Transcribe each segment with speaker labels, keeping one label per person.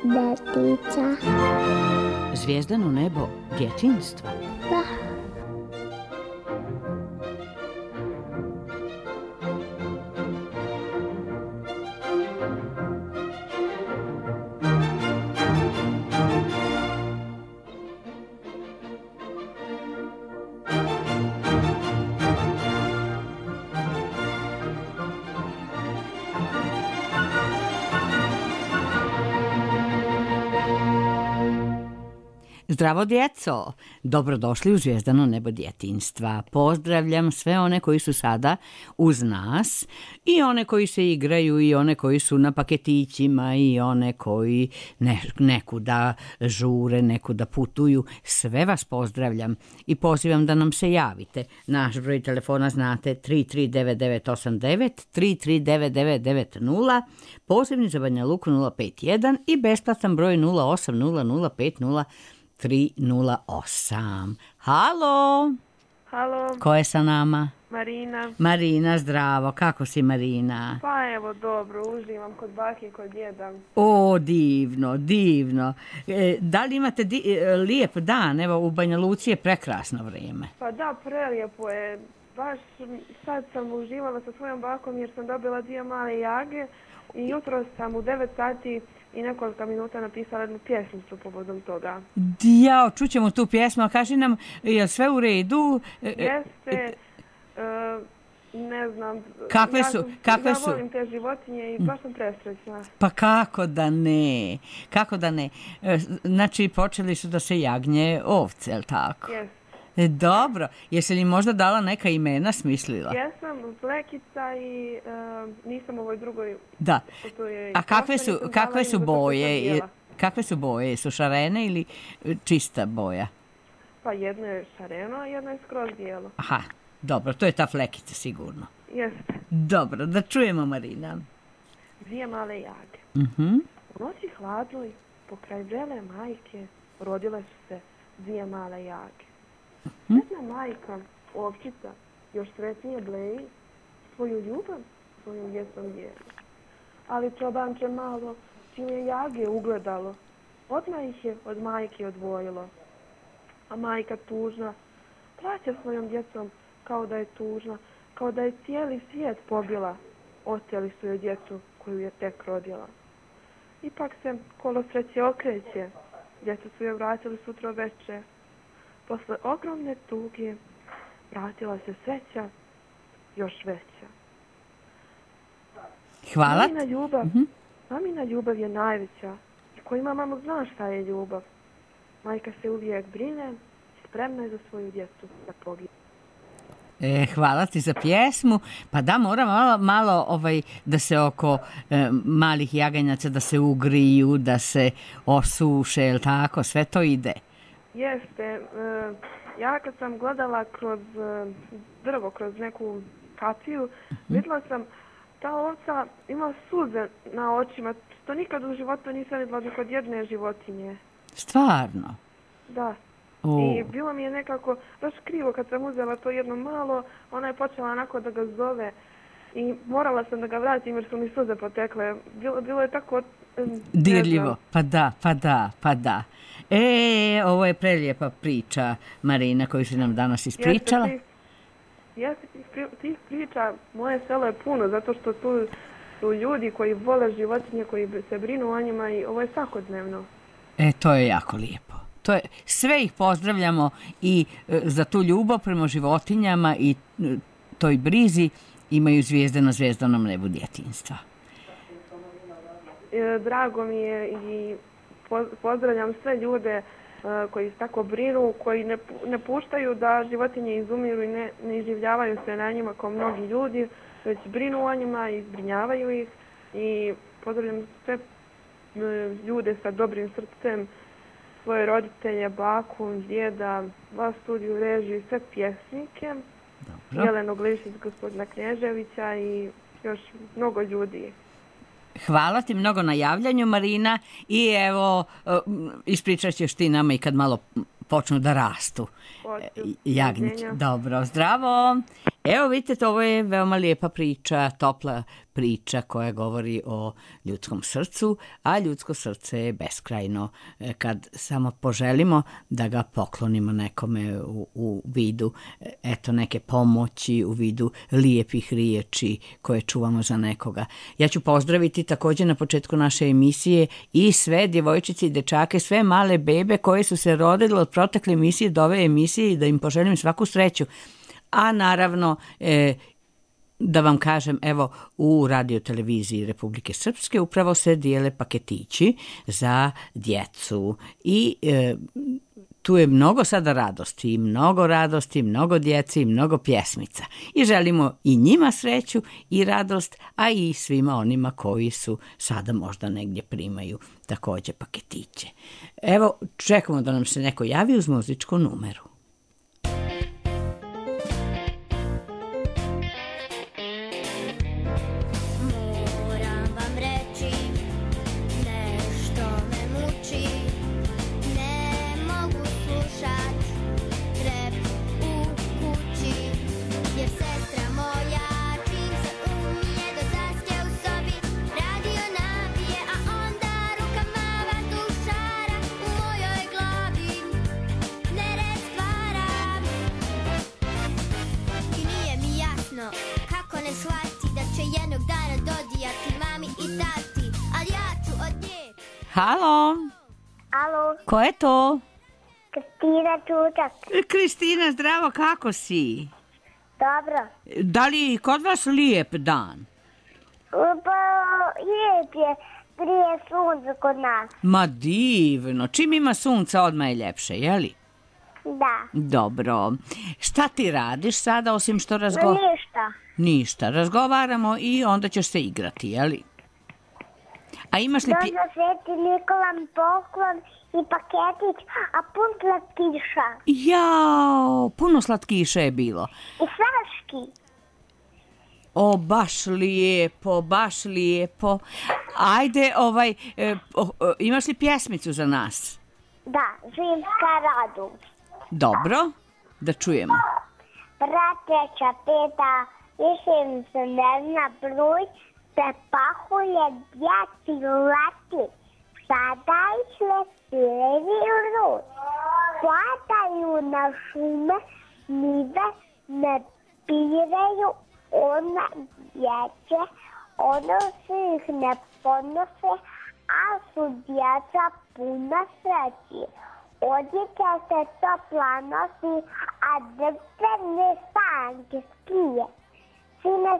Speaker 1: nebo djetica.
Speaker 2: Zvijezdano nebo djetinjstva.
Speaker 1: Da.
Speaker 2: Zdravo djeco, dobrodošli u Zvijezdano nebo djetinjstva. Pozdravljam sve one koji su sada uz nas i one koji se igraju i one koji su na paketićima i one koji nekuda žure, nekuda putuju. Sve vas pozdravljam i pozivam da nam se javite. Naš broj telefona znate 339989, 339990, pozivni za Banja Luku 051 i besplatan broj 080050 308. Halo!
Speaker 3: Halo.
Speaker 2: Ko je sa nama?
Speaker 3: Marina.
Speaker 2: Marina, zdravo. Kako si, Marina?
Speaker 3: Pa evo, dobro, uživam kod bake i kod djeda.
Speaker 2: O, divno, divno. Da li imate lijep dan? Evo, u Banja Luci je prekrasno vrijeme.
Speaker 3: Pa da, prelijepo je. Baš sad sam uživala sa svojom bakom jer sam dobila 2 male jage i jutro sam u 9 sati i nekoliko minuta napisala jednu pjesmicu povodom toga.
Speaker 2: Jao, čućemo tu pjesmu, a kaži nam, je sve u redu?
Speaker 3: Jeste, ne znam,
Speaker 2: kakve su?
Speaker 3: volim te životinje i baš sam presrećna.
Speaker 2: Pa kako da ne, kako da ne. Znači, počeli su da se jagnje ovce, je li tako?
Speaker 3: Jeste.
Speaker 2: Dobro, jesi li možda dala neka imena, smislila?
Speaker 3: Jesam, Flekica i nisam ovoj drugoj.
Speaker 2: Da, a kakve su boje? Kakve su boje? Su šarene ili čista boja?
Speaker 3: Pa jedno je šareno, a jedno je skroz bijelo.
Speaker 2: Aha, dobro, to je ta Flekica sigurno.
Speaker 3: Jeste.
Speaker 2: Dobro, da čujemo, Marina.
Speaker 3: 2 male jage.
Speaker 2: Mhm.
Speaker 3: U noći hladnoj, pokraj vrele majke, rodile su se 2 male jage. Sretna majka, ovčica, još sretnije bleji, svoju ljubav svojim djecom dijeli. Ali čobanče malo, čim je jage ugledalo, odmah ih je od majke odvojilo. A majka tužna, plaće svojom djecom kao da je tužna, kao da je cijeli svijet pobila. Oteli su joj djecu koju je tek rodila. Ipak se kolo sreće okreće, djecu su joj vratili sutro veče. Posle ogromne tuge vratila se sreća još veća.
Speaker 2: Hvala.
Speaker 3: Mamina ljubav je najveća. I ko ima mamu zna šta je ljubav. Majka se uvijek brine i spremna je za svoju djecu da pogine.
Speaker 2: Hvala ti za pjesmu. Pa da, moram malo da se oko malih jaganjaca da se ugriju, da se osuše, jel tako? Sve to ide.
Speaker 3: Jeste. Ja kad sam gledala kroz drvo, kroz neku kapiju, vidjela sam ta ovca ima suze na očima. To nikad u životu nisam vidjela ni kod jedne životinje.
Speaker 2: Stvarno?
Speaker 3: Da. I bilo mi je nekako baš krivo kad sam uzela to jedno malo, ona je počela onako da ga zove i morala sam da ga vratim jer su mi suze potekle. Bilo je tako...
Speaker 2: dirljivo, pa da. Ovo je prelijepa priča, Marina, koju si nam danas ispričala.
Speaker 3: Jeste, tih priča, moje selo je puno, zato što tu su ljudi koji vole životinje, koji se brinu o njima i ovo je svakodnevno.
Speaker 2: To je jako lijepo. Sve ih pozdravljamo i za tu ljubav prema životinjama i toj brizi imaju zvijezde na zvijezdnom nebu djetinjstva.
Speaker 3: Drago mi je i pozdravljam sve ljude koji se tako brinu, koji ne puštaju da životinje izumiru i ne iživljavaju se na njima kao mnogi ljudi, već brinu o njima i zbrinjavaju ih. I pozdravljam sve ljude sa dobrim srcem, svoje roditelje, baku, djeda, vas studiju, režiju, sve pjesnike. Dobro. Jelenu Glišić, gospodina Knježevića i još mnogo ljudi.
Speaker 2: Hvala ti mnogo na javljanju, Marina, i evo, ispričat ćeš ti nama i kad malo počnu da rastu jagnjići. Dobro, zdravo. Evo vidite, ovo je veoma lijepa priča, topla priča koja govori o ljudskom srcu, a ljudsko srce je beskrajno kad samo poželimo da ga poklonimo nekome u vidu neke pomoći, u vidu lijepih riječi koje čuvamo za nekoga. Ja ću pozdraviti također na početku naše emisije i sve djevojčice i dečake, sve male bebe koje su se rodile od protekle emisije do ove emisije i da im poželim svaku sreću. A naravno, da vam kažem, evo u radioteleviziji Republike Srpske upravo se dijele paketići za djecu i tu je mnogo sada radosti, mnogo djeci i mnogo pjesmica. I želimo i njima sreću i radost, a i svima onima koji su sada možda negdje primaju također paketiće. Evo, čekamo da nam se neko javi uz muzičku numeru. Halo?
Speaker 1: Alo,
Speaker 2: Ko je to?
Speaker 1: Kristina Čučak.
Speaker 2: Kristina, zdravo, kako si?
Speaker 1: Dobro.
Speaker 2: Da li je kod vas lijep dan?
Speaker 1: Pa, lijep je, prije sunce kod nas.
Speaker 2: Ma divno, čim ima sunca odmah je ljepše, jeli?
Speaker 1: Da.
Speaker 2: Dobro. Šta ti radiš sada osim što
Speaker 1: Ništa.
Speaker 2: Ništa, razgovaramo i onda ćeš se igrati, jeli? A imaš li...
Speaker 1: Došla Sveti Nikola mi poklon i paketić, a pun slatkiša.
Speaker 2: Jao, puno slatkiša je bilo.
Speaker 1: I svaški.
Speaker 2: O, baš lijepo. Ajde, imaš li pjesmicu za nas?
Speaker 1: Da, zimska radost.
Speaker 2: Dobro, da čujemo.
Speaker 1: Prateća peta, više mi se ne zna broj, prepahuje djeci leti, sada išle pilevi u rud. Padaju na šume, nive ne pireju, ona dječe, ono se ih ne ponose, a su djeca puna sreći. Odjeća se topla nosi, a drvene sanke skije. Sine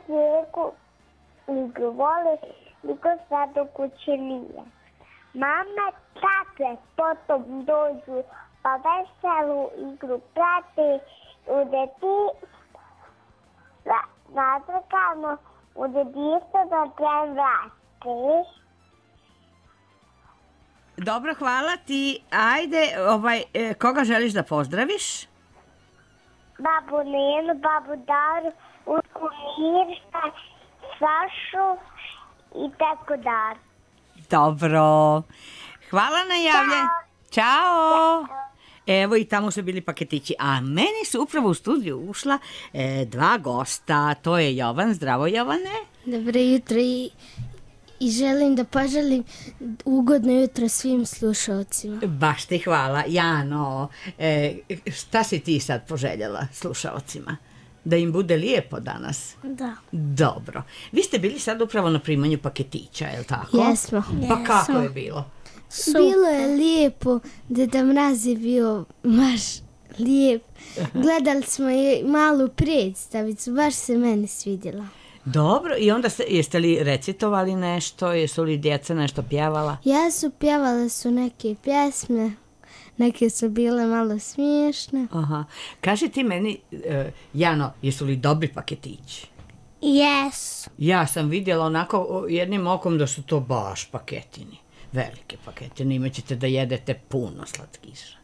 Speaker 1: svijeku igru voli, niko sad u kući nije. Mama tate potom dođu, pa veselu igru prati, u nadrkano, u dedijstvo da tren vrati.
Speaker 2: Dobro, hvala ti. Ajde, koga želiš da pozdraviš?
Speaker 1: Babu Nenu, babu Daru, Utku Mirša, Sašu i tako dar.
Speaker 2: Dobro. Hvala na javlje. Ćao. Evo i tamo su bili paketići. A meni su upravo u studiju ušla dva gosta. To je Jovan. Zdravo, Jovane.
Speaker 4: Dobro jutro i želim da poželim ugodno jutro svim slušalcima.
Speaker 2: Baš ti hvala. Jano, šta si ti sad poželjela slušalcima? Da im bude lijepo danas?
Speaker 4: Da.
Speaker 2: Dobro. Vi ste bili sad upravo na primanju paketića, je li tako?
Speaker 4: Jesmo.
Speaker 2: Pa kako je bilo?
Speaker 4: Bilo je lijepo, Deda Mraz je bio baš lijep. Gledali smo i malu predstavicu, baš se meni svidjela.
Speaker 2: Dobro, i onda jeste li recitovali nešto, jesu li djeca nešto pjevala?
Speaker 4: Pjevale su neke pjesme, neke su bile malo smiješne.
Speaker 2: Aha. Kaži ti meni, Jano, jesu li dobri paketići?
Speaker 4: Yes.
Speaker 2: Ja sam vidjela onako jednim okom da su to baš paketini, velike paketine, imat ćete da jedete puno slatkiša.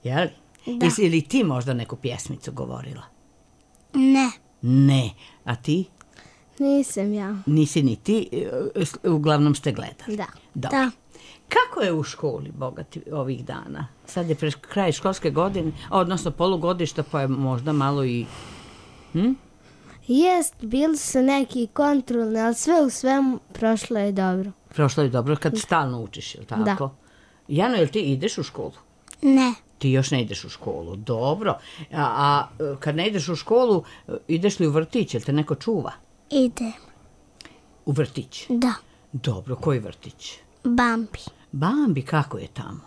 Speaker 2: Jel?
Speaker 4: Da.
Speaker 2: Jesi li ti možda neku pjesmicu govorila?
Speaker 4: Ne.
Speaker 2: Ne. A ti?
Speaker 4: Nisam ja.
Speaker 2: Nisi ni ti, uglavnom ste gledali.
Speaker 4: Da.
Speaker 2: Dobro.
Speaker 4: Da.
Speaker 2: Kako je u školi, bogati, ovih dana? Sad je pred kraj školske godine, odnosno polugodišta, pa je možda malo i...
Speaker 4: Jest, bili su neki kontrolni, ali sve u svemu prošlo je dobro.
Speaker 2: Prošlo je dobro kad stalno učiš, je li tako?
Speaker 4: Da.
Speaker 2: Jano, jel ti ideš u školu?
Speaker 1: Ne.
Speaker 2: Ti još ne ideš u školu, dobro. A kad ne ideš u školu, ideš li u vrtić, jel te neko čuva?
Speaker 1: Idem.
Speaker 2: U vrtić?
Speaker 1: Da.
Speaker 2: Dobro, koji vrtić?
Speaker 1: Bambi.
Speaker 2: Bambi, kako je tamo?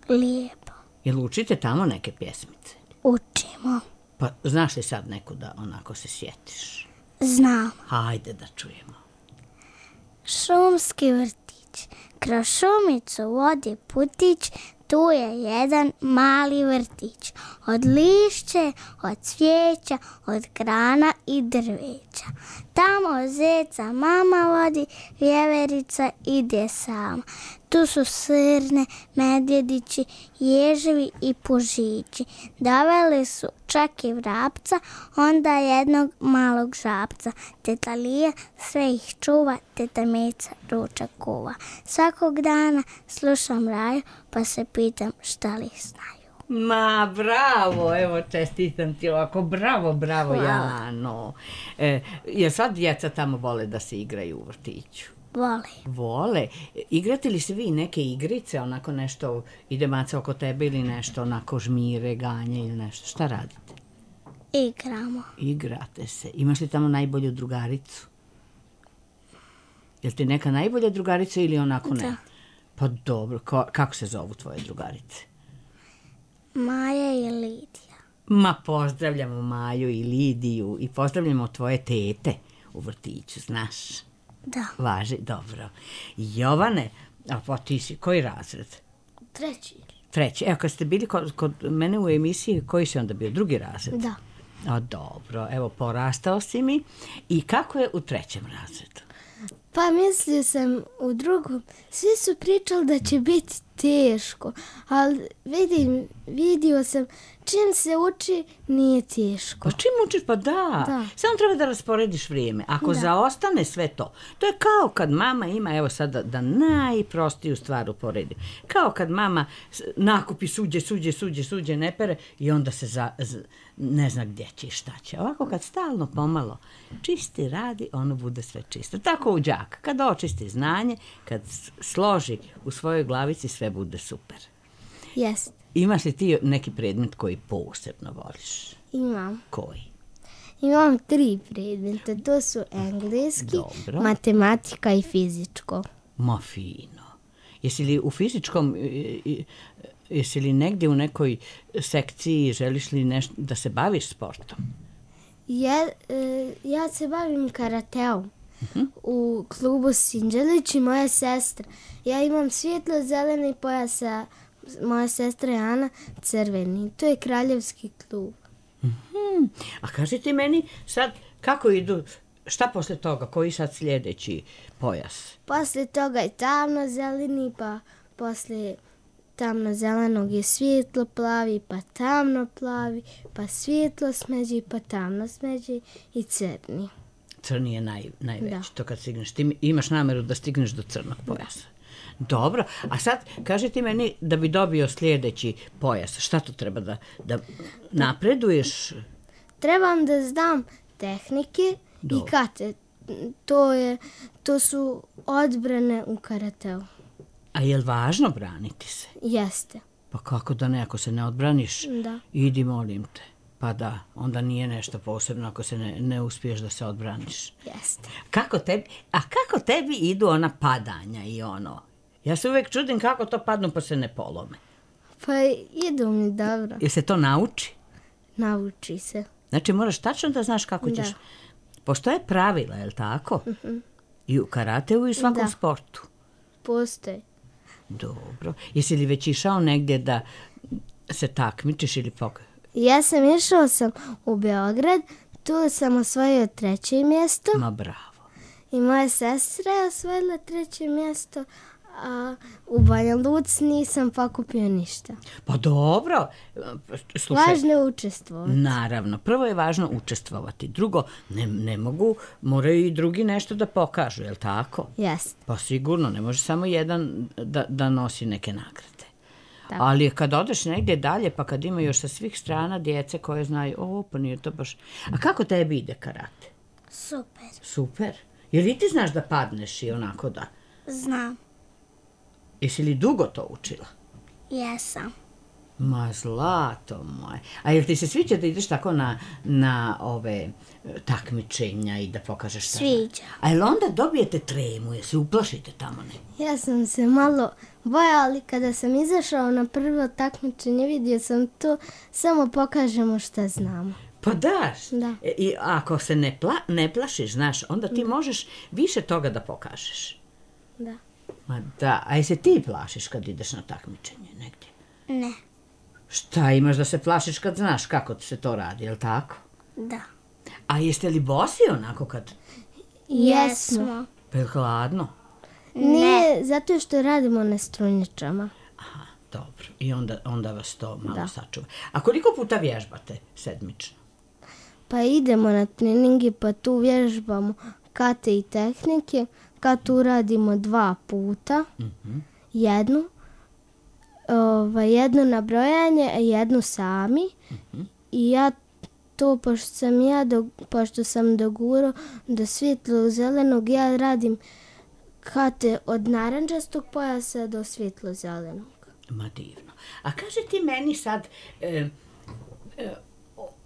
Speaker 1: Lijepo.
Speaker 2: Jel učite tamo neke pjesmice?
Speaker 1: Učimo.
Speaker 2: Pa znaš li sad neku da onako se sjetiš?
Speaker 1: Znam.
Speaker 2: Hajde da čujemo.
Speaker 1: Šumski vrtić. Kroz šumicu vodi putić, tu je jedan mali vrtić. Od lišće, od cvijeća, od grana i drveća. Tamo zeca mama vodi, vjeverica ide sama. Tu su srne, medvjedići, ježevi i pužići. Doveli su čak i vrapca, onda jednog malog žabca. Teta Lija sve ih čuva, teta Mica ručak kuva. Svakog dana slušam Raju, pa se pitam šta li znaju.
Speaker 2: Ma, bravo, evo čestitam ti ovako, bravo,
Speaker 1: Hvala.
Speaker 2: Jano. Jer sad djeca tamo vole da se igraju u vrtiću?
Speaker 1: Voli.
Speaker 2: Vole. Igrate li se vi neke igrice, onako nešto, ide maca oko tebe ili nešto, onako žmire, ganje ili nešto? Šta radite?
Speaker 1: Igramo.
Speaker 2: Igrate se. Imaš li tamo najbolju drugaricu? Jel ti neka najbolja drugarica ili onako ne?
Speaker 1: Da.
Speaker 2: Pa dobro, kako se zovu tvoje drugarice?
Speaker 1: Maja i Lidija.
Speaker 2: Ma pozdravljamo Maju i Lidiju i pozdravljamo tvoje tete u vrtiću, znaš?
Speaker 1: Da.
Speaker 2: Važi, dobro. Jovane, a pa ti si, koji razred? Treći. Evo, kad ste bili kod mene u emisiji, koji si onda bio? Drugi razred?
Speaker 1: Da.
Speaker 2: A dobro, evo, porastao si mi. I kako je u trećem razredu?
Speaker 4: Pa mislio sam u drugom, svi su pričali da će biti teško, ali vidio sam čim se uči nije teško.
Speaker 2: Pa čim učiš? Pa da. Samo treba da rasporediš vrijeme. Ako zaostane sve to, to je kao kad mama ima, evo sad da najprostiju stvar uporedim. Kao kad mama nakupi suđe, ne pere i onda se ne zna gdje će i šta će. Ovako kad stalno pomalo čisti radi, ono bude sve čisto. Tako u đak. Kad očisti znanje, kad složi u svojoj glavici, sve bude super.
Speaker 4: Jest.
Speaker 2: Imaš li ti neki predmet koji posebno voliš?
Speaker 4: Imam.
Speaker 2: Koji?
Speaker 4: Imam 3 predmeta, to su engleski,
Speaker 2: Dobro.
Speaker 4: matematika i fizičko.
Speaker 2: Ma fino. Jesi li u fizičkom, jesi li negdje u nekoj sekciji, želiš li nešto da se baviš sportom?
Speaker 4: Ja se bavim karateom u klubu Sinđelić i moja sestra. Ja imam svjetlo-zeleni pojas, a moja sestra je Ana crveni. To je kraljevski klub.
Speaker 2: A kaži ti meni sad kako idu, šta posle toga, koji sad sljedeći pojas?
Speaker 4: Posle toga je tamno-zeleni, pa posle tamno-zelenog je svjetlo-plavi, pa tamno-plavi, pa svjetlo-smeđi, pa tamno-smeđi i crni.
Speaker 2: Crni je najveći,
Speaker 4: Da.
Speaker 2: to kad stigneš. Ti imaš nameru da stigneš do crnog pojasa. Dobro, a sad kaži ti meni da bi dobio sljedeći pojas, šta to treba da napreduješ?
Speaker 4: Trebam da znam tehnike
Speaker 2: Dobro.
Speaker 4: i kate. To su odbrane u karateu.
Speaker 2: A je li važno braniti se?
Speaker 4: Jeste.
Speaker 2: Pa kako da ne, ako se ne odbraniš,
Speaker 4: Da.
Speaker 2: idi molim te. Pa da, onda nije nešto posebno ako se ne uspiješ da se odbraniš.
Speaker 4: Jeste.
Speaker 2: Kako tebi idu ona padanja i ono? Ja se uvijek čudim kako to padnu pa se ne polome.
Speaker 4: Pa idu mi dobro.
Speaker 2: Jel se to nauči?
Speaker 4: Nauči se.
Speaker 2: Znači moraš tačno da znaš kako ćeš.
Speaker 4: Da.
Speaker 2: Postoje pravila, je li tako? I u karateu i u svakom
Speaker 4: Da.
Speaker 2: sportu.
Speaker 4: Postoji.
Speaker 2: Dobro. Jesi li već išao negdje da se takmičiš ili
Speaker 4: Ja sam išao u Beograd, tu sam osvojio 3. mjesto
Speaker 2: Ma bravo.
Speaker 4: i moja sestra je osvojila 3. mjesto, a u Banja Luci nisam pokupio ništa.
Speaker 2: Pa dobro, slušaj.
Speaker 4: Važno je učestvovati.
Speaker 2: Naravno, prvo je važno učestvovati. Drugo, ne mogu, moraju i drugi nešto da pokažu, je li tako?
Speaker 4: Jeste.
Speaker 2: Pa sigurno, ne može samo jedan da nosi neke nagrade.
Speaker 4: Tako.
Speaker 2: Ali kad odeš negdje dalje, pa kad ima još sa svih strana djece koje znaju, pa nije to baš... A kako tebi ide karate?
Speaker 1: Super.
Speaker 2: Super. Jel i ti znaš da padneš i onako da...
Speaker 1: Znam.
Speaker 2: Jesi li dugo to učila?
Speaker 1: Jesam.
Speaker 2: Ma zlato moje. A jel ti se sviđa da ideš tako na ove takmičenja i da pokažeš šta?
Speaker 1: Sviđa.
Speaker 2: A jel onda dobijete tremu, jel se uplašite tamo ne?
Speaker 4: Ja sam se malo bojala, ali kada sam izašao na prvo takmičenje, vidio sam to, samo pokažemo šta znamo.
Speaker 2: Pa daš.
Speaker 4: Da.
Speaker 2: I ako se ne plašiš, znaš, onda ti možeš više toga da pokažeš.
Speaker 4: Da.
Speaker 2: Ma da, a jesi ti plašiš kad ideš na takmičenje negdje?
Speaker 1: Ne.
Speaker 2: Šta imaš da se plašiš kad znaš kako se to radi, jel tako?
Speaker 1: Da.
Speaker 2: A jeste li bosi onako kad...
Speaker 1: Jesmo.
Speaker 2: Pa je hladno?
Speaker 4: Nije, zato što radimo na strunjačama.
Speaker 2: Aha, dobro. I onda vas to malo sačuva. A koliko puta vježbate sedmično?
Speaker 4: Pa idemo na treningi, pa tu vježbamo kate i tehnike. Katu radimo 2 puta. Jednu na brojanje, a jednu sami. I ja to, pošto sam dogurao do svjetlo zelenog, ja radim kate od narančastog pojasa do svjetlo zelenog.
Speaker 2: Ma divno. A kaži ti meni sad,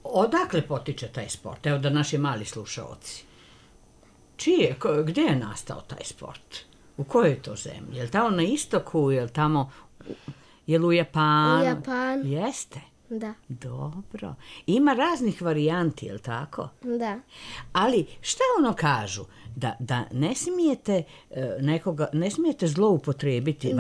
Speaker 2: odakle potiče taj sport? Evo da naši mali slušaoci. Gdje je nastao taj sport? U kojoj to zemlji? Je li tamo na istoku, je li tamo... Je li u Japanu?
Speaker 4: U Japanu.
Speaker 2: Jeste?
Speaker 4: Da.
Speaker 2: Dobro. Ima raznih varijanti, je li tako?
Speaker 4: Da.
Speaker 2: Ali šta ono kažu? Da ne smijete ne smijete zloupotrijebiti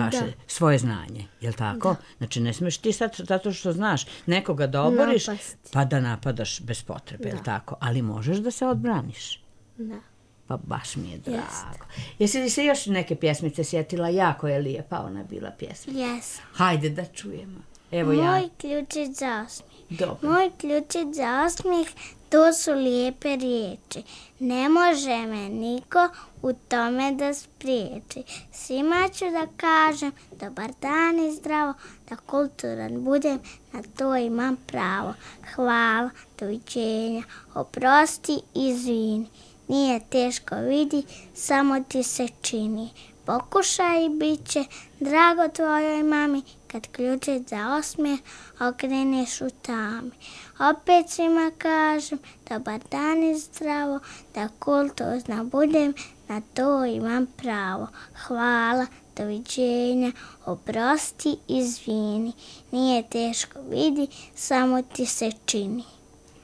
Speaker 2: svoje znanje, je li tako? Da. Znači ne smiješ ti sad, zato što znaš nekoga da oboriš, pa da napadaš bez potrebe, je li tako? Ali možeš da se odbraniš.
Speaker 4: Da.
Speaker 2: Pa baš mi je drago. Jesi li se još neke pjesmice sjetila? Jako je lijepa ona bila pjesmica.
Speaker 1: Jesam.
Speaker 2: Hajde da čujemo. Evo
Speaker 1: Moj ključić za osmijeh.
Speaker 2: Dobro.
Speaker 1: Moj ključić za osmijeh, to su lijepe riječi. Ne može me niko u tome da spriječi. Svima ću da kažem dobar dan i zdravo, da kulturan budem, na to imam pravo. Hvala, doviđenja, oprosti, izvini. Nije teško, vidi, samo ti se čini. Pokušaj i bit će drago tvojoj mami, kad ključić za osmijeh okreneš u tami. Opet svima kažem, dobar dan i zdravo, da kultuzna budem, na to imam pravo. Hvala, doviđenja, oprosti, izvini. Nije teško, vidi, samo ti se čini.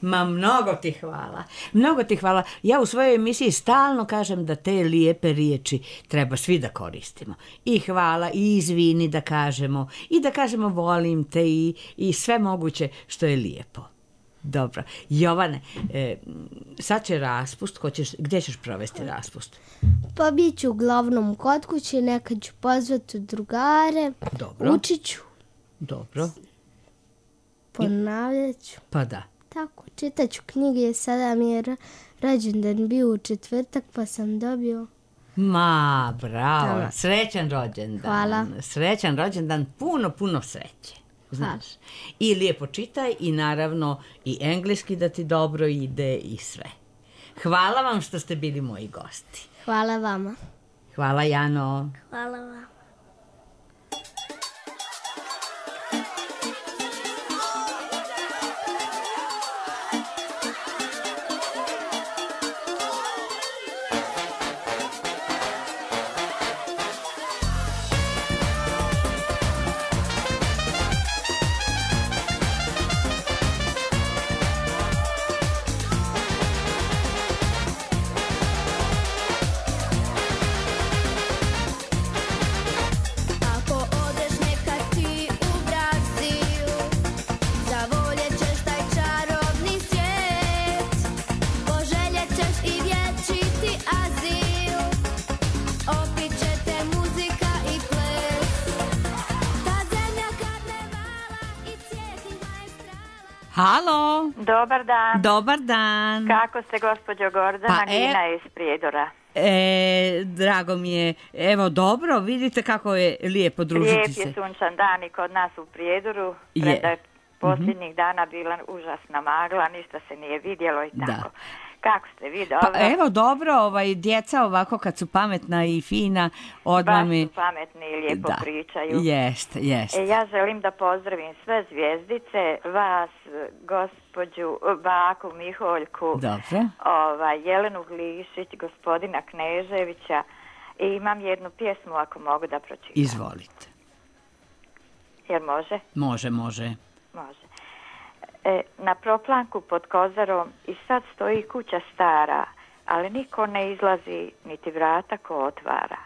Speaker 2: Ma mnogo ti hvala, mnogo ti hvala. Ja u svojoj emisiji stalno kažem da te lijepe riječi treba svi da koristimo. I hvala, i izvini da kažemo, i da kažemo volim te i sve moguće što je lijepo. Dobro. Jovane, sad će raspust, gdje ćeš provesti raspust?
Speaker 4: Pa bit ću uglavnom kod kuće, nekad ću pozvati drugare,
Speaker 2: Dobro.
Speaker 4: učit ću,
Speaker 2: Dobro.
Speaker 4: ponavljat ću.
Speaker 2: Pa da.
Speaker 4: Tako, čitat ću knjige, sada mi je rođendan bio u četvrtak, pa sam dobio.
Speaker 2: Ma, bravo, srećan rođendan.
Speaker 4: Hvala.
Speaker 2: Srećan rođendan, puno sreće. Znaš. I lijepo čitaj i naravno i engleski da ti dobro ide i sve. Hvala vam što ste bili moji gosti.
Speaker 4: Hvala vama.
Speaker 2: Hvala Jano.
Speaker 1: Hvala vam.
Speaker 2: Halo.
Speaker 5: Dobar dan.
Speaker 2: Dobar dan.
Speaker 5: Kako ste, gospođo Gordana? Nina iz Prijedora.
Speaker 2: Drago mi je. Evo, dobro, vidite kako je lijepo družiti se.
Speaker 5: Lijep je sunčan dan i kod nas u Prijedoru. Preda je posljednjih dana bila užasna magla, ništa se nije vidjelo i tako.
Speaker 2: Da.
Speaker 5: Kako ste vi, dobro?
Speaker 2: Pa evo, dobro, djeca ovako kad su pametna i fina, odmah mi...
Speaker 5: Baš su pametni i lijepo pričaju.
Speaker 2: Jest.
Speaker 5: Ja želim da pozdravim sve zvijezdice, vas, gospođu Baku Miholjku,
Speaker 2: dobro.
Speaker 5: Jelenu Glišić, gospodina Kneževića i imam jednu pjesmu ako mogu da pročitam.
Speaker 2: Izvolite.
Speaker 5: Jer može?
Speaker 2: Može.
Speaker 5: Može. Na proplanku pod Kozarom i sad stoji kuća stara, ali niko ne izlazi, niti vrata ko otvara.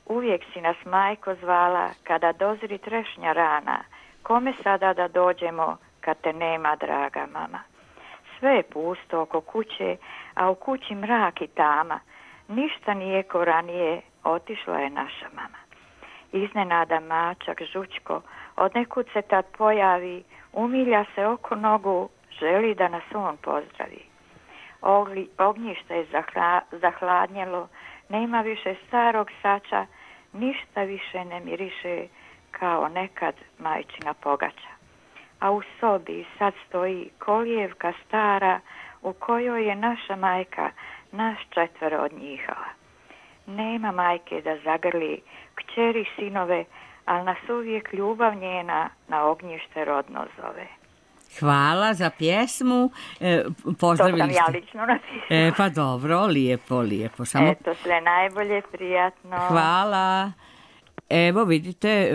Speaker 5: Uvijek si nas majko zvala, kada dozri trešnja rana, kome sada da dođemo, kad te nema, draga mama. Sve je pusto oko kuće, a u kući mrak i tama, ništa nije ko ranije, otišla je naša mama. Iznenada mačak Žučko, od nekud se tad pojavi, umilja se oko nogu, želi da nas on pozdravi. Ognjište je zahladnjelo, nema više starog sača, ništa više ne miriše kao nekad majčina pogača. A u sobi sad stoji kolijevka stara, u kojoj je naša majka nas 4 od njihala. Nema majke da zagrli kćeri sinove, ali nas uvijek ljubav njena na ognjište rodno zove.
Speaker 2: Hvala za pjesmu. Pozdravili
Speaker 5: to sam ja lično napisala.
Speaker 2: Pa dobro, lijepo.
Speaker 5: Samo... Eto, sve najbolje, prijatno.
Speaker 2: Hvala. Evo vidite,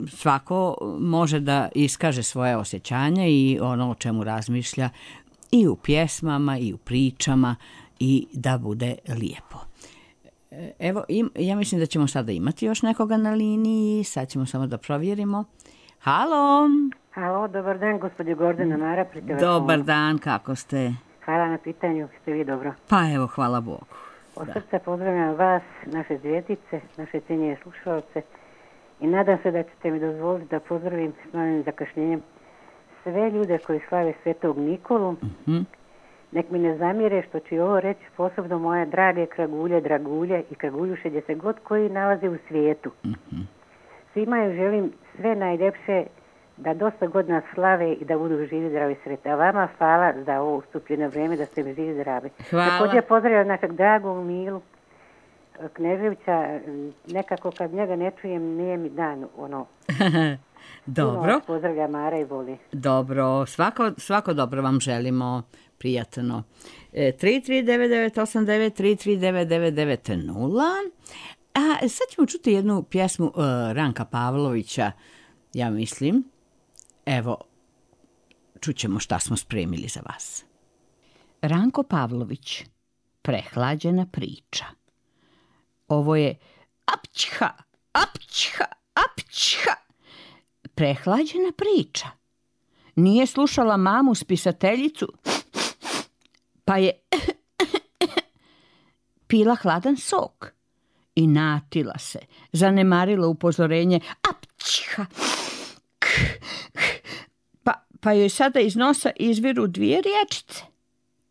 Speaker 2: svako može da iskaže svoje osjećanja i ono o čemu razmišlja i u pjesmama i u pričama i da bude lijepo. Evo, ja mislim da ćemo sada imati još nekoga na liniji, sad ćemo samo da provjerimo. Halo,
Speaker 6: dobar dan, gospođo Gordana Mara pri telefonu.
Speaker 2: Dobar dan, kako ste?
Speaker 6: Hvala na pitanju, ste vi dobro?
Speaker 2: Pa evo, hvala Bogu.
Speaker 6: Od srca pozdravljam vas, naše zvijezdice, naše cijenjene slušalce i nadam se da ćete mi dozvoliti da pozdravim s malim zakašnjenjem sve ljude koji slave Svetog Nikolu. Nek mi ne zamire što ću ovo reći, posebno moje drage dragulje i kraguljuše gdje se god koji nalaze u svijetu. Svima im želim sve najljepše, da dosta godina slave i da budu živi, zdravi, sretni. A vama hvala za ovo ustupljeno vrijeme da ste mi živi, zdravi.
Speaker 2: Hvala.
Speaker 6: Također pozdravljam našeg dragog Milu Kneževića, nekako kad njega ne čujem nije mi dan
Speaker 2: Dobro.
Speaker 6: Pozdravljam Mara i voli.
Speaker 2: Dobro, svako dobro vam želimo, prijatno. 33989 3399990. A sad ćemo čuti jednu pjesmu Ranka Pavlovića, ja mislim. Evo, čućemo šta smo spremili za vas. Ranko Pavlović, Prehlađena priča. Ovo je apćha, apćha, apćha. Prehlađena priča. Nije slušala mamu spisateljicu, pa je pila hladan sok i natila se, zanemarila upozorenje apćha, pa joj sada iz nosa izviru 2 riječice.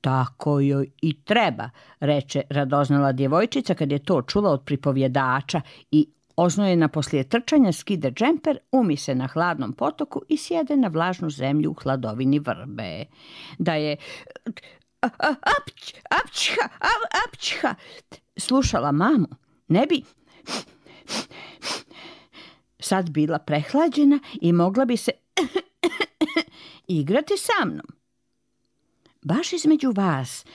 Speaker 2: Tako joj i treba, reče radoznala djevojčica kad je to čula od pripovjedača i oznojena poslije trčanja skide džemper, umi se na hladnom potoku i sjede na vlažnu zemlju u hladovini vrbe. Da je apćha slušala mamu, ne bi sad bila prehlađena i mogla bi se igrati sa mnom. Baš između vas,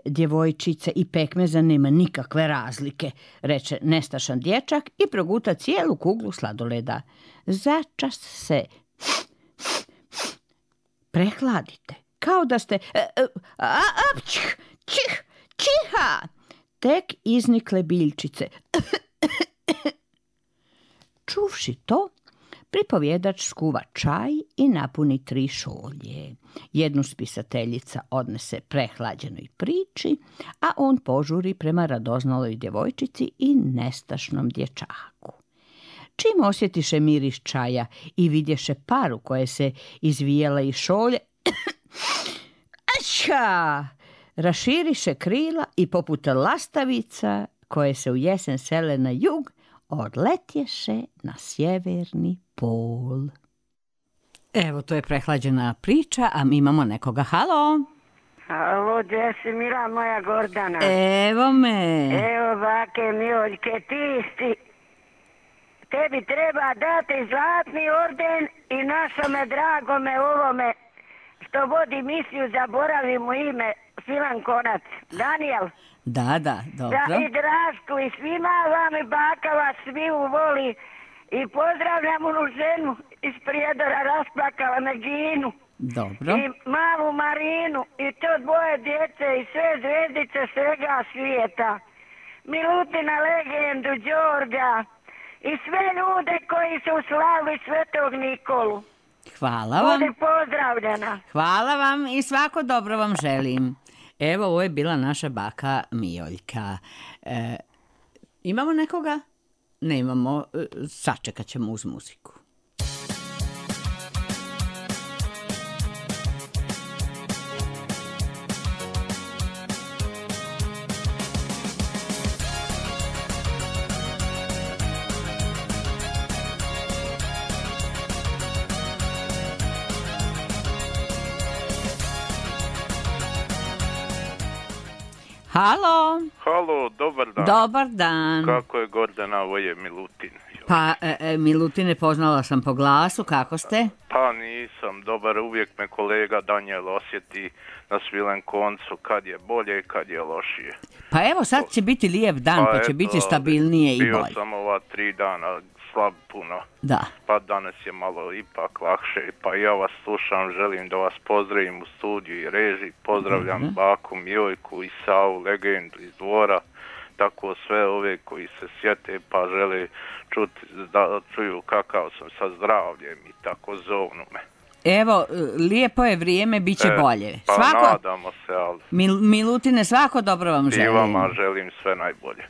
Speaker 2: djevojčice i pekmeza, nema nikakve razlike, reče nestašan dječak i proguta cijelu kuglu sladoleda. Začas se prehladite, kao da ste čiha, tek iznikle biljčice. Čuvši to, pripovjedač skuva čaj i napuni 3 šolje. Jednu spisateljica odnese prehlađenoj priči, a on požuri prema radoznaloj djevojčici i nestašnom dječaku. Čim osjetiše miris čaja i vidješe paru koje se izvijela iz šolje, Ača! Raširiše krila i poput lastavica koje se u jesen sele na jug, odletješe na sjeverni pol. Evo, to je prehlađena priča, a mi imamo nekoga. Halo?
Speaker 7: Halo, gdje si mila moja Gordana?
Speaker 2: Evo me.
Speaker 7: Evo, bake Mijoljke, tebi treba dati zlatni orden i našome dragome ovome što vodi misiju, zaboravim mu ime, Svilan Konac, Daniel.
Speaker 2: Da, dobro.
Speaker 7: Da, i Drašku, i svima vam i baka vas sviju voli i pozdravljam onu ženu iz Prijedora, rasplakala me Ginu.
Speaker 2: Dobro.
Speaker 7: I malu Marinu i to dvoje djece i sve zvezdice svega svijeta. Milutina legendu, Đorđa i sve ljude koji su slavili Svetog Nikolu.
Speaker 2: Hvala vam.
Speaker 7: Budi pozdravljena.
Speaker 2: Hvala vam i svako dobro vam želim. Evo, ovo je bila naša baka Mijoljka. Imamo nekoga? Nemamo. Sačekat ćemo uz muziku. Halo.
Speaker 8: Halo, dobar dan.
Speaker 2: Dobar dan.
Speaker 8: Kako je Gordana, ovo je Milutin.
Speaker 2: Pa, Milutine, poznala sam po glasu, kako ste?
Speaker 8: Pa nisam dobar, uvijek me kolega Daniel osjeti na Svilen koncu kad je bolje i kad je lošije.
Speaker 2: Pa evo, sad će biti lijep dan, pa će biti stabilnije i bolje.
Speaker 8: Bio sam ova 3 dana slab puno.
Speaker 2: Da.
Speaker 8: Pa danas je malo ipak lakše, pa ja vas slušam, želim da vas pozdravim u studiju i režiji, pozdravljam baku Mijojku i Savu, legendu iz Dvora, tako sve ove koji se sjete pa žele čuti, da čuju kakav sam sa zdravljem i tako zovnu me.
Speaker 2: Evo, lijepo je vrijeme, bit će bolje.
Speaker 8: Pa nadamo se, ali...
Speaker 2: Milutine, svako dobro vam želim.
Speaker 8: I vama želim sve najbolje.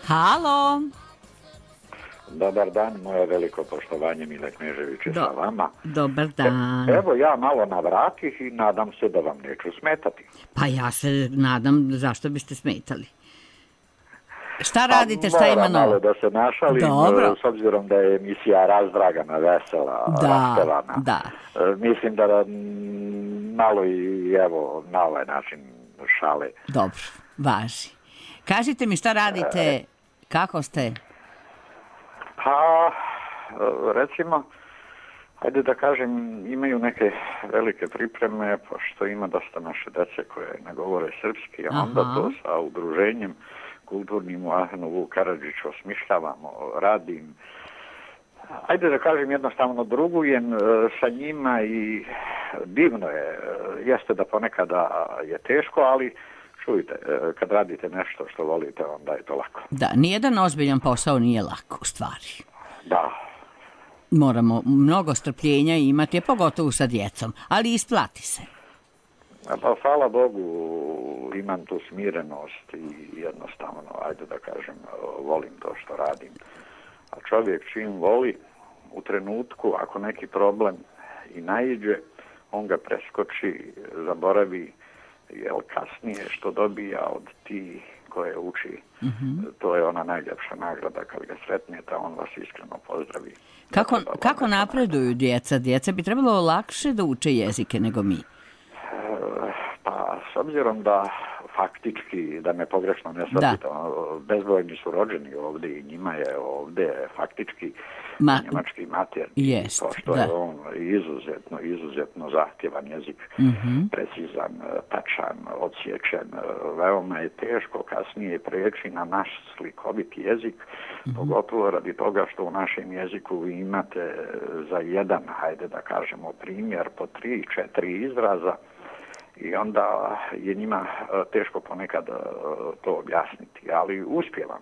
Speaker 2: Halo.
Speaker 9: Dobar dan, moje veliko poštovanje, Mile Knežević je sa vama.
Speaker 2: Dobar dan.
Speaker 9: Evo ja malo navratih i nadam se da vam neću smetati.
Speaker 2: Pa ja se nadam, zašto biste smetali? Šta radite, šta ima novo?
Speaker 9: Malo da se našalim, s obzirom da je emisija razdragana, vesela, raspevana.
Speaker 2: Da.
Speaker 9: Mislim da malo i evo na ovaj način šale.
Speaker 2: Dobro, važi. Kažite mi šta radite, kako ste?
Speaker 9: Pa, recimo, ajde da kažem, imaju neke velike pripreme, pošto ima dosta naše dece koje ne govore srpski, a onda to sa udruženjem kulturnim u Ahenovu Karadžiću osmišljavamo, radim. Ajde da kažem, jednostavno drugujem sa njima i divno je, jeste da ponekada je teško, ali čujte, kad radite nešto što volite, onda je to lako.
Speaker 2: Da, nijedan ozbiljan posao nije lako, u stvari.
Speaker 9: Da.
Speaker 2: Moramo mnogo strpljenja imati, pogotovo sa djecom, ali isplati se.
Speaker 9: Pa hvala Bogu, imam tu smirenost i jednostavno, ajde da kažem, volim to što radim. A čovjek čim voli, u trenutku, ako neki problem i naiđe, on ga preskoči, zaboravi, jer kasnije što dobija od ti koje uči, to je ona najljepša nagrada kad ga sretnete, on vas iskreno pozdravi.
Speaker 2: Kako napreduju djeca? Djeca bi trebalo lakše da uče jezike nego mi.
Speaker 9: Pa s obzirom da faktički, da me pogrešno ne shvatite, bezbrojni su rođeni ovdje i njima je ovdje faktički njemački maternji, pošto je on izuzetno zahtjevan jezik, precizan, tačan, odsječen. Veoma je teško kasnije preći na naš slikoviti jezik, pogotovo radi toga što u našem jeziku vi imate za jedan, hajde da kažemo, primjer po 3-4 izraza, i onda je njima teško ponekad to objasniti, ali uspijevam,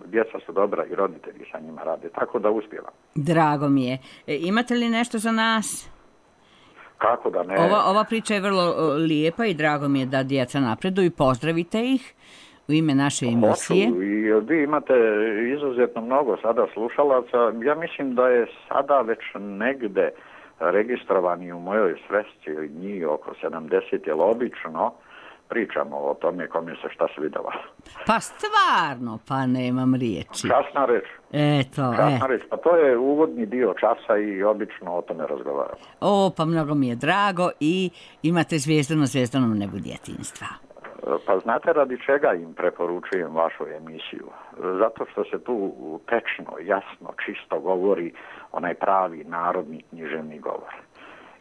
Speaker 9: djeca su dobra i roditelji sa njima rade, tako da uspijevam.
Speaker 2: Drago mi je. Imate li nešto za nas?
Speaker 9: Kako da ne?
Speaker 2: Ova priča je vrlo lijepa i drago mi je da djeca napreduju, pozdravite ih u ime naše emisije.
Speaker 9: Hoću, i vi imate izuzetno mnogo sada slušalaca, ja mislim da je sada već negde registrovani u mojoj svesci njih oko 70, jer obično pričamo o tome kome se šta svidjelo.
Speaker 2: Pa stvarno, pa nemam riječi.
Speaker 9: Kasna reč.
Speaker 2: Kasna
Speaker 9: reč, pa to je uvodni dio časa i obično o tome razgovaramo.
Speaker 2: Pa mnogo mi je drago i imate Zvijezdano nebu djetinjstva.
Speaker 9: Pa znate radi čega im preporučujem vašu emisiju? Zato što se tu tečno, jasno, čisto govori onaj pravi narodni književni govor.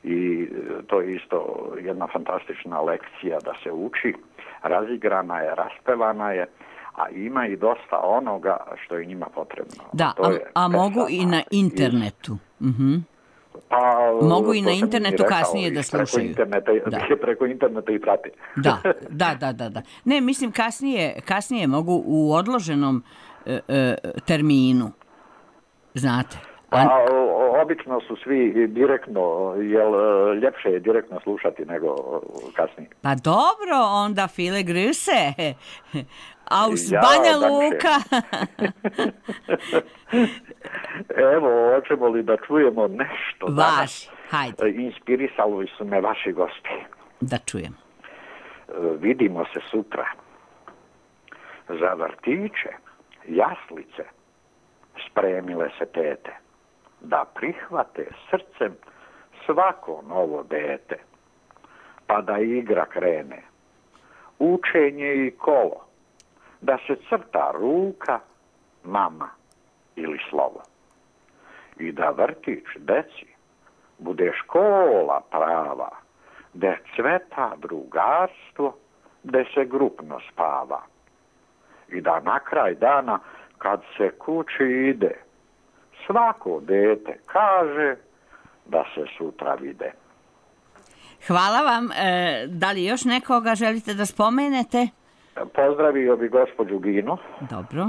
Speaker 9: I to je isto jedna fantastična lekcija da se uči. Razigrana je, raspevana je, a ima i dosta onoga što je njima potrebno.
Speaker 2: Da, a mogu i na internetu.
Speaker 9: Pa,
Speaker 2: mogu i na internetu kasnije da slušaju.
Speaker 9: Preko interneta i prate.
Speaker 2: Da. Ne, mislim kasnije mogu u odloženom terminu. Znate.
Speaker 9: Pa obično su svi direktno, jer ljepše je direktno slušati nego kasnije.
Speaker 2: Pa dobro, onda viele Grüße. Aus Banja Luka.
Speaker 9: Evo, hoćemo li da čujemo nešto
Speaker 2: vaši, hajde.
Speaker 9: Inspirisali su me vaši gosti.
Speaker 2: Da čujem.
Speaker 9: Vidimo se sutra. Za vrtiće, jaslice, spremile se tete, da prihvate srcem svako novo dete, pa da igra krene, učenje i kolo, da se crta ruka, mama ili slovo. I da vrtić deci bude škola prava, gde cveta drugarstvo, gde se grupno spava. I da na kraj dana, kad se kući ide, svako dete kaže da se sutra vide.
Speaker 2: Hvala vam. Da li još nekoga želite da spomenete?
Speaker 9: Pozdravio bi gospođu Ginu.
Speaker 2: Dobro.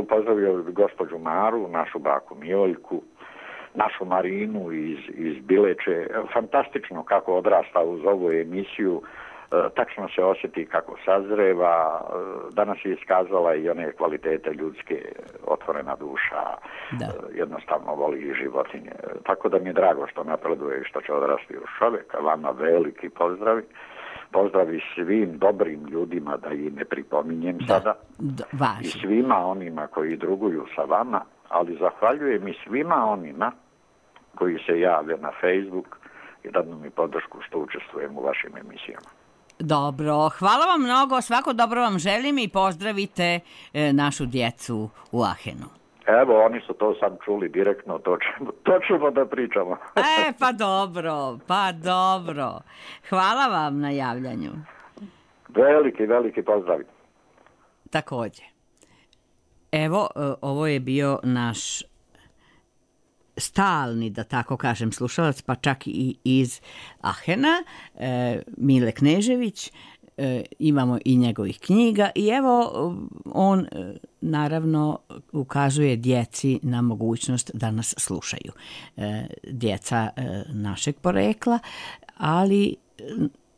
Speaker 9: Pozdravio bi gospođu Maru, našu baku Mijoljku, našu Marinu iz Bileće. Fantastično kako odrasta uz ovu emisiju. Tačno se osjeti kako sazreva. Danas je iskazala i one kvalitete ljudske, otvorena duša, jednostavno voli životinje. Tako da mi je drago što napreduje i što će odrasti u čovjeka. Vama veliki pozdravi. Pozdravi svim dobrim ljudima, da ih ne pripominjem sada. I svima onima koji druguju sa vama, ali zahvaljujem i svima onima koji se jave na Facebook i dadu mi podršku što učestvujem u vašim emisijama.
Speaker 2: Dobro, hvala vam mnogo, svako dobro vam želim i pozdravite našu djecu u Aachenu.
Speaker 9: Evo, oni su to sad čuli direktno, to ćemo da pričamo.
Speaker 2: Pa dobro. Hvala vam na javljanju.
Speaker 9: Veliki pozdrav.
Speaker 2: Također. Evo, ovo je bio naš stalni, da tako kažem, slušalac, pa čak i iz Aachena, Mile Knežević. Imamo i njegovih knjiga i evo on naravno ukazuje djeci na mogućnost da nas slušaju. Djeca našeg porekla, ali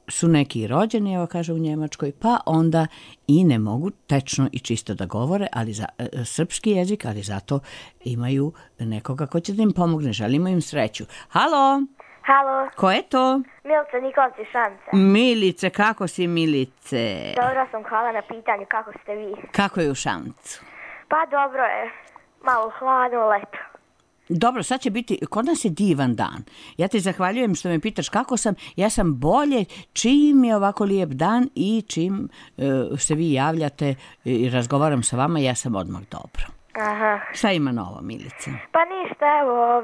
Speaker 2: su neki rođeni, evo kaže u Njemačkoj, pa onda i ne mogu tečno i čisto da govore, ali za srpski jezik, ali zato imaju nekoga ko će da im pomogne. Želimo im sreću. Halo!
Speaker 10: Halo.
Speaker 2: Ko je to?
Speaker 10: Milica Nikolci, Šance.
Speaker 2: Milice, kako si Milice?
Speaker 10: Dobro sam, hvala na pitanju, kako ste vi?
Speaker 2: Kako je u Šancu?
Speaker 10: Pa dobro je, malo hladno, leto.
Speaker 2: Dobro, sad će biti, kod nas je divan dan. Ja ti zahvaljujem što me pitaš kako sam. Ja sam bolje čim je ovako lijep dan i čim se vi javljate i razgovaram sa vama, ja sam odmah dobro.
Speaker 10: Aha.
Speaker 2: Šta ima novo, Milice?
Speaker 10: Pa ništa, evo,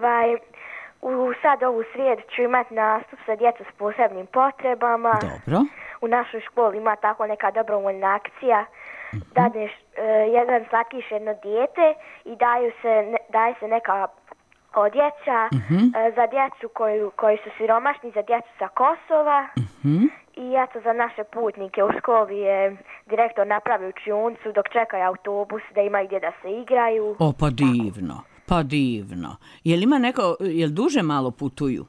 Speaker 10: sad ovu srijedu ću imati nastup sa djecom s posebnim potrebama.
Speaker 2: Dobro.
Speaker 10: U našoj školi ima tako neka dobrovoljna akcija. Dadneš jedan slatkiš, jedno dijete i daje se neka odjeća za djecu koji su siromašni, za djecu sa Kosova. I eto, za naše putnike u školi je direktor napravio učionicu dok čekaju autobus da imaju gdje da se igraju.
Speaker 2: O, pa divno, pa divno. Jel ima neko, jel duže malo putuju?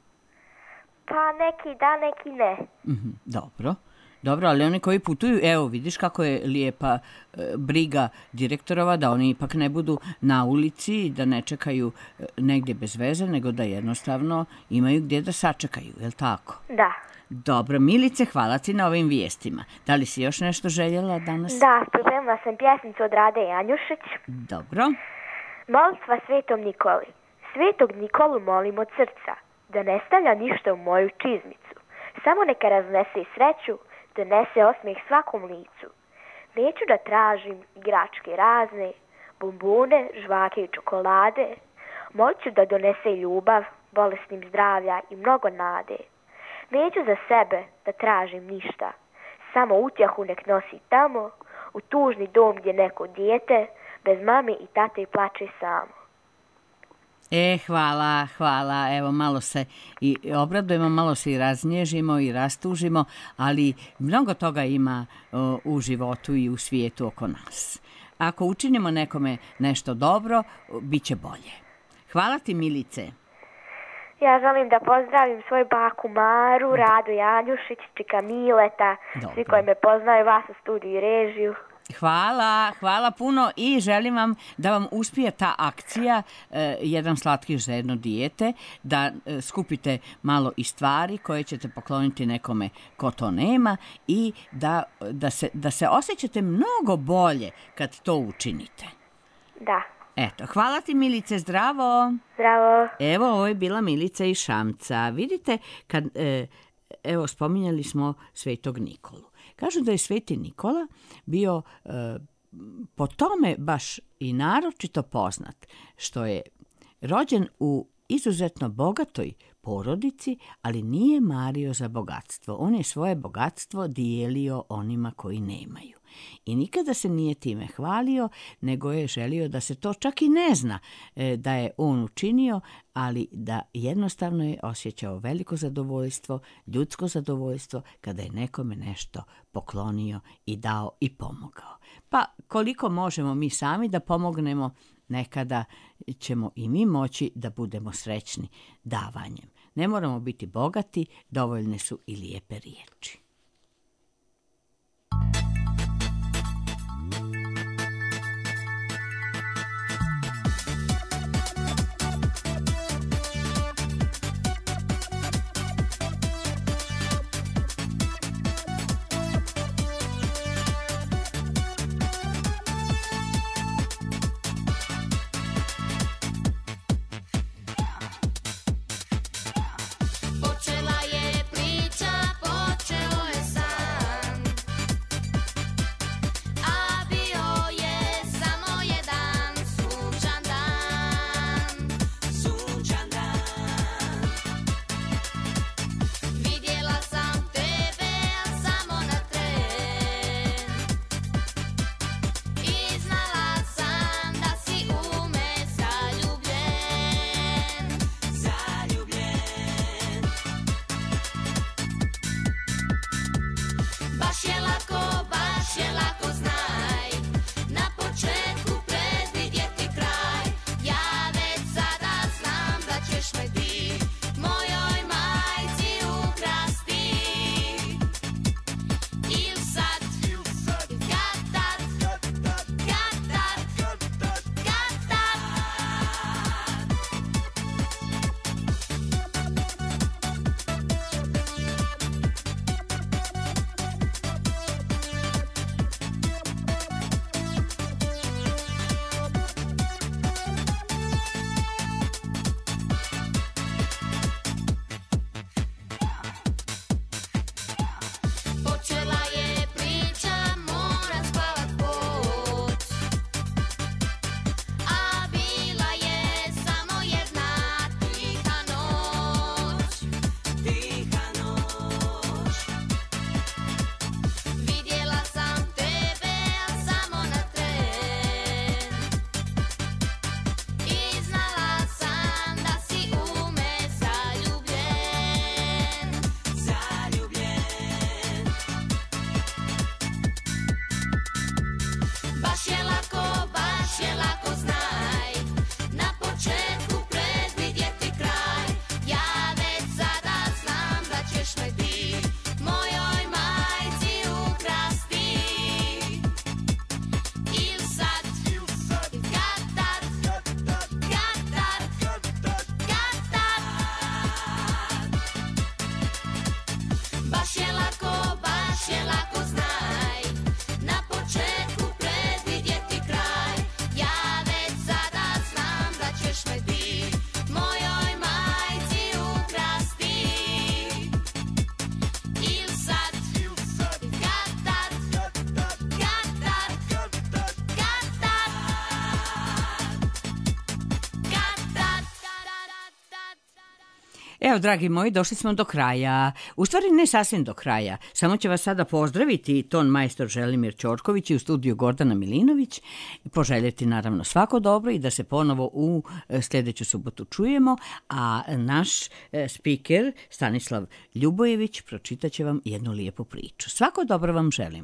Speaker 10: Pa neki da, neki ne.
Speaker 2: Dobro. Dobro, ali oni koji putuju, evo vidiš kako je lijepa briga direktorova da oni ipak ne budu na ulici, da ne čekaju negdje bez veze, nego da jednostavno imaju gdje da sačekaju, je li tako?
Speaker 10: Da.
Speaker 2: Dobro, Milice, hvala ti na ovim vijestima. Da li si još nešto željela danas?
Speaker 10: Da, pripremila sam pjesmicu od Rade Janjušić.
Speaker 2: Dobro.
Speaker 10: Molitva Svetom Nikoli. Svetog Nikolu molim od srca, da ne stavlja ništa u moju čizmicu. Samo neka raznese sreću, donese osmijeh svakom licu. Neću da tražim igračke razne, bombone, žvake i čokolade. Molit ću da donese ljubav, bolesnim zdravlja i mnogo nade. Neću za sebe da tražim ništa, samo utjehu nek nosi tamo, u tužni dom gdje neko dijete, bez mame i tate plače samo.
Speaker 2: Hvala. Evo, malo se i obradujemo, malo se i raznježimo i rastužimo, ali mnogo toga ima u životu i u svijetu oko nas. Ako učinimo nekome nešto dobro, bit će bolje. Hvala ti, Milice.
Speaker 10: Ja želim da pozdravim svoju baku Maru, Radu Janjušić, čika Mileta, svi koji me poznaju, vas u studiju i režiju.
Speaker 2: Hvala puno i želim vam da vam uspije ta akcija jedan slatkiš za jedno dijete, da skupite malo i stvari koje ćete pokloniti nekome ko to nema i da se osjećate mnogo bolje kad to učinite.
Speaker 10: Da.
Speaker 2: Eto, hvala ti, Milice, zdravo.
Speaker 10: Zdravo.
Speaker 2: Evo, ovo je bila Milica iz Šamca. Vidite, evo, spominjali smo Svetog Nikolu. Kažu da je Sveti Nikola bio po tome baš i naročito poznat, što je rođen u izuzetno bogatoj porodici, ali nije mario za bogatstvo. On je svoje bogatstvo dijelio onima koji nemaju. I nikada se nije time hvalio, nego je želio da se to čak i ne zna da je on učinio, ali da jednostavno je osjećao veliko zadovoljstvo, ljudsko zadovoljstvo, kada je nekome nešto poklonio i dao i pomogao. Pa koliko možemo mi sami da pomognemo, nekada ćemo i mi moći da budemo srećni davanjem. Ne moramo biti bogati, dovoljne su i lijepe riječi.
Speaker 11: je lako znaj, na početku predvidjeti kraj. Ja već sada znam da ćeš me ti mojoj majci ukrasti. Il sad, kad
Speaker 2: Evo, dragi moji, došli smo do kraja. U stvari ne sasvim do kraja. Samo će vas sada pozdraviti ton majstor Želimir Ćorković i u studiju Gordana Milinović. Poželjeti naravno svako dobro i da se ponovo u sljedeću subotu čujemo. A naš spiker Stanislav Ljubojević pročitat će vam jednu lijepu priču. Svako dobro vam želim.